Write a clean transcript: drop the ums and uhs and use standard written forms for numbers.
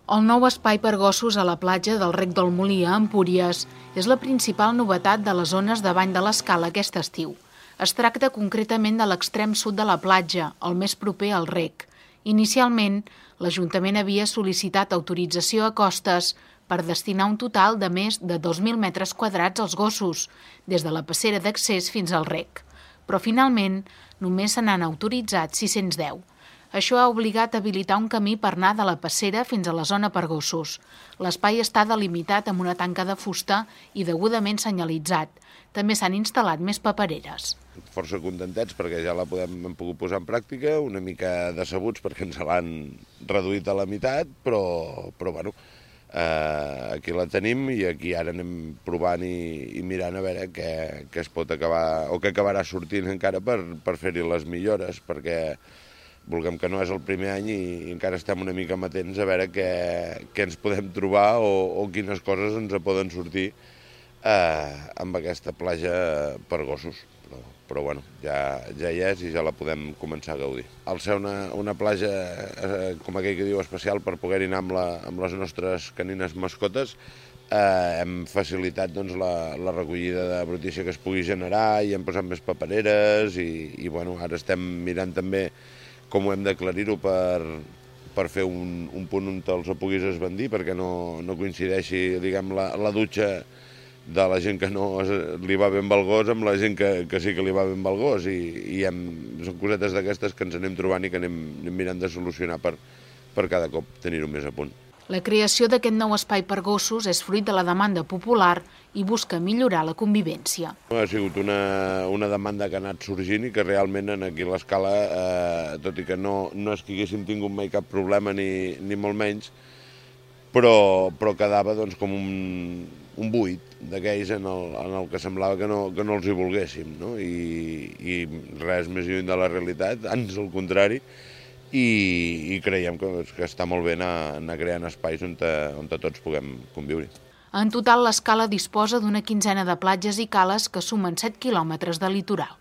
El nou espai per gossos a la platja del Rec del Molí a Empúries és la principal novetat de les zones de Bany de l'Escala aquest estiu. Es tracta concretament de l'extrem sud de la platja, el més proper al rec. Inicialment, l'Ajuntament havia sol·licitat autorització a costes per destinar un total de més de 2.000 metres quadrats als gossos, des de la passera d'accés fins al rec. Però finalment només se n'han autoritzat 610. Això ha obligat a habilitar un camí per anar de la passera fins a la zona per gossos. L'espai està delimitat amb una tanca de fusta i degudament senyalitzat. També s'han instal·lat més papereres. Força contentets perquè ja hem pogut posar en pràctica, una mica decebuts perquè ens l'han reduït a la meitat, però bueno, aquí la tenim i aquí ara anem provant i mirant a veure què es pot acabar o què acabarà sortint encara per fer-hi les millores, perquè vulguem que no és el primer any i encara estem una mica amatents a veure què ens podem trobar o quines coses ens poden sortir amb aquesta platja per gossos. Però bueno, ja hi és i ja la podem començar a gaudir. Al ser una platja, com aquell que diu, especial per poder-hi anar amb les nostres canines mascotes, hem facilitat la recollida de brutícia que es pugui generar i hem posat més papereres i bueno, ara estem mirant també com ho hem d'aclarir-ho per fer un punt on te'ls puguis esbandir perquè no coincideixi, diguem, la dutxa de la gent que no li va bé amb el gos amb la gent que sí que li va bé amb el gos i són cosetes d'aquestes que ens anem trobant i que anem mirant de solucionar per cada cop tenir-ho més a punt. La creació d'aquest nou espai per gossos és fruit de la demanda popular i busca millorar la convivència. Ha sigut una demanda que ha anat sorgint i que realment aquí a l'Escala, tot i que no és que haguéssim tingut mai cap problema ni molt menys, però quedava com un buit d'aquells en el que semblava que no els hi volguéssim, no? I res més lluny de la realitat, ans al contrari, i creiem que està molt bé anar creant espais on tots puguem conviure. En total, l'Escala disposa d'una quinzena de platges i cales que sumen 7 quilòmetres de litoral.